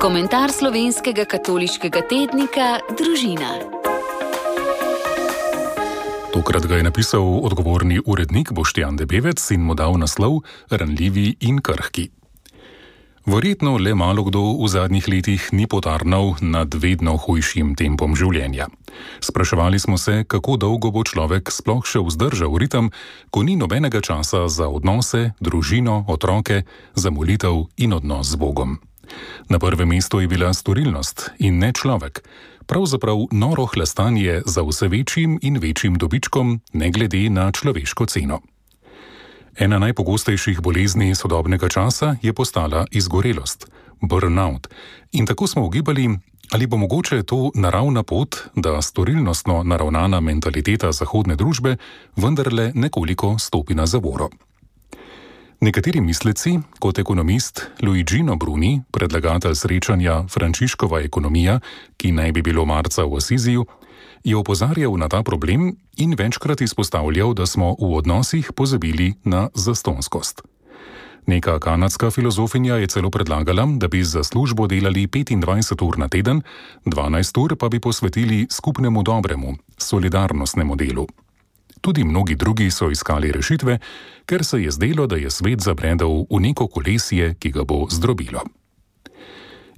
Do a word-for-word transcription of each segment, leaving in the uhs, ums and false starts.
Komentar slovenskega katoliškega tednika Družina. Tokrat ga je napisal odgovorni urednik Boštjan Debevec in mu dal naslov Ranljivi in krhki. Verjetno le malo kdo v zadnjih letih ni potarnal nad vedno hujšim tempom življenja. Spraševali smo se, kako dolgo bo človek sploh še vzdržal ritem, ko ni nobenega časa za odnose, družino, otroke, za molitev in odnos z Bogom. Na prvem mestu je bila storilnost in ne človek, pravzaprav noro hlastanje za vse večjim in večjim dobičkom, ne glede na človeško ceno. Ena najpogostejših bolezni sodobnega časa je postala izgorelost, burnout, in tako smo ugibali, ali bo mogoče to naravna pot, da storilnostno naravnana mentaliteta zahodne družbe vendarle nekoliko stopi na zavoro. Nekateri misleci, kot ekonomist Luigino Bruni, predlagatelj srečanja Frančiškova ekonomija, ki naj bi bilo marca v Asiziju, je opozarjal na ta problem in večkrat izpostavljal, da smo v odnosih pozabili na zastonjskost. Neka kanadska filozofinja je celo predlagala, da bi za službo delali petindvajset ur na teden, dvanajst ur pa bi posvetili skupnemu dobremu, solidarnostnemu delu. Tudi mnogi drugi so iskali rešitve, ker se je zdelo, da je svet zabredel v neko kolesje, ki ga bo zdrobilo.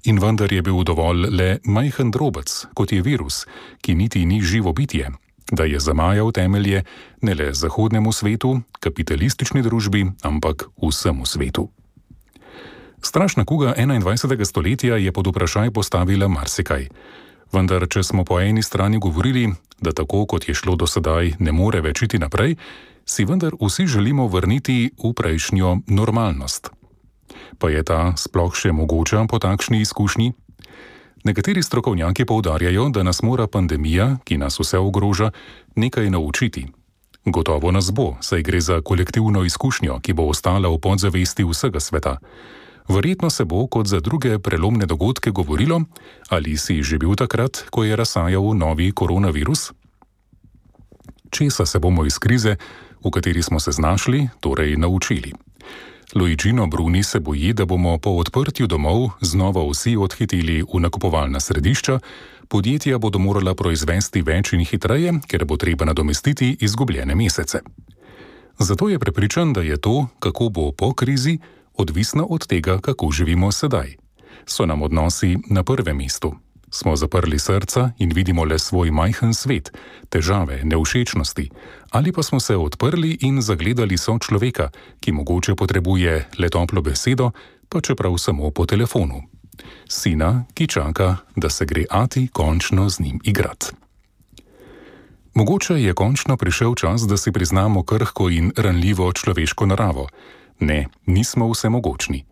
In vendar je bil dovolj le majhen drobec, kot je virus, ki niti ni živo bitje, da je zamajal temelje ne le zahodnemu svetu, kapitalistični družbi, ampak vsemu svetu. Strašna kuga enaindvajsetega stoletja je pod vprašaj postavila marsikaj. Vendar, če smo po eni strani govorili, da tako, kot je šlo do sedaj, ne more več iti naprej, si vendar vsi želimo vrniti v prejšnjo normalnost. Pa je ta sploh še mogoča po takšni izkušnji? Nekateri strokovnjaki poudarjajo, da nas mora pandemija, ki nas vse ogroža, nekaj naučiti. Gotovo nas bo, saj gre za kolektivno izkušnjo, ki bo ostala v podzavesti vsega sveta. Verjetno se bo, kot za druge prelomne dogodke, govorilo, ali si že bil takrat, ko je razsajal novi koronavirus? Česa se bomo iz krize, v kateri smo se znašli, torej naučili? Luigino Bruni se boji, da bomo po odprtju domov znova vsi odhiteli v nakupovalna središča, podjetja bodo morala proizvesti več in hitreje, ker bo treba nadomestiti izgubljene mesece. Zato je prepričan, da je to, kako bo po krizi, odvisno od tega, kako živimo sedaj. So nam odnosi na prvem mestu? Smo zaprli srca in vidimo le svoj majhen svet, težave, nevšečnosti, ali pa smo se odprli in zagledali sočloveka, ki mogoče potrebuje le toplo besedo, pa čeprav samo po telefonu. Sina, ki čaka, da se gre ati končno z njim igrat. Mogoče je končno prišel čas, da si priznamo krhko in ranljivo človeško naravo. Ne, nismo vsemogočni.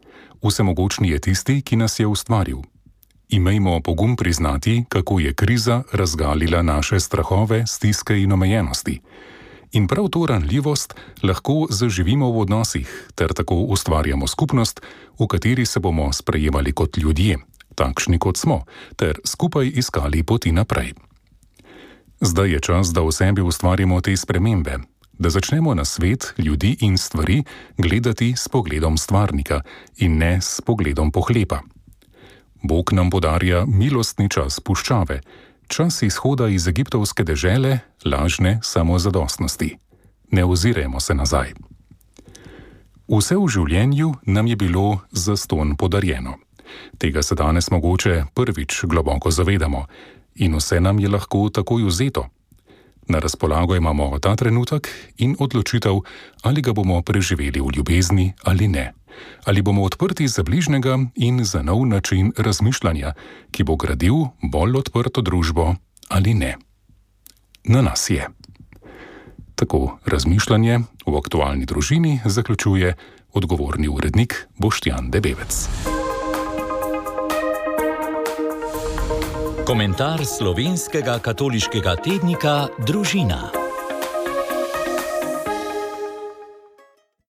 Vsemogočni je tisti, ki nas je ustvaril. Imejmo pogum priznati, kako je kriza razgalila naše strahove, stiske in omejenosti. In prav to ranljivost lahko zaživimo v odnosih, ter tako ustvarjamo skupnost, v kateri se bomo sprejemali kot ljudje, takšni kot smo, ter skupaj iskali poti naprej. Zdaj je čas, da v sebi ustvarimo te spremembe, da začnemo na svet, ljudi in stvari gledati s pogledom stvarnika in ne s pogledom pohlepa. Bog nam podarja milostni čas puščave, čas izhoda iz egiptovske dežele, lažne samozadostnosti. Ne ozirajmo se nazaj. Vse v življenju nam je bilo zastonj podarjeno. Tega se danes mogoče prvič globoko zavedamo in vse nam je lahko takoj vzeto. Na razpolago imamo ta trenutek in odločitev, ali ga bomo preživeli v ljubezni ali ne. Ali bomo odprti za bližnjega in za nov način razmišljanja, ki bo gradil bolj odprto družbo ali ne. Na nas je. Tako razmišljanje v aktualni družini zaključuje odgovorni urednik Boštjan Debevec. Komentar slovenskega katoliškega tednika Družina.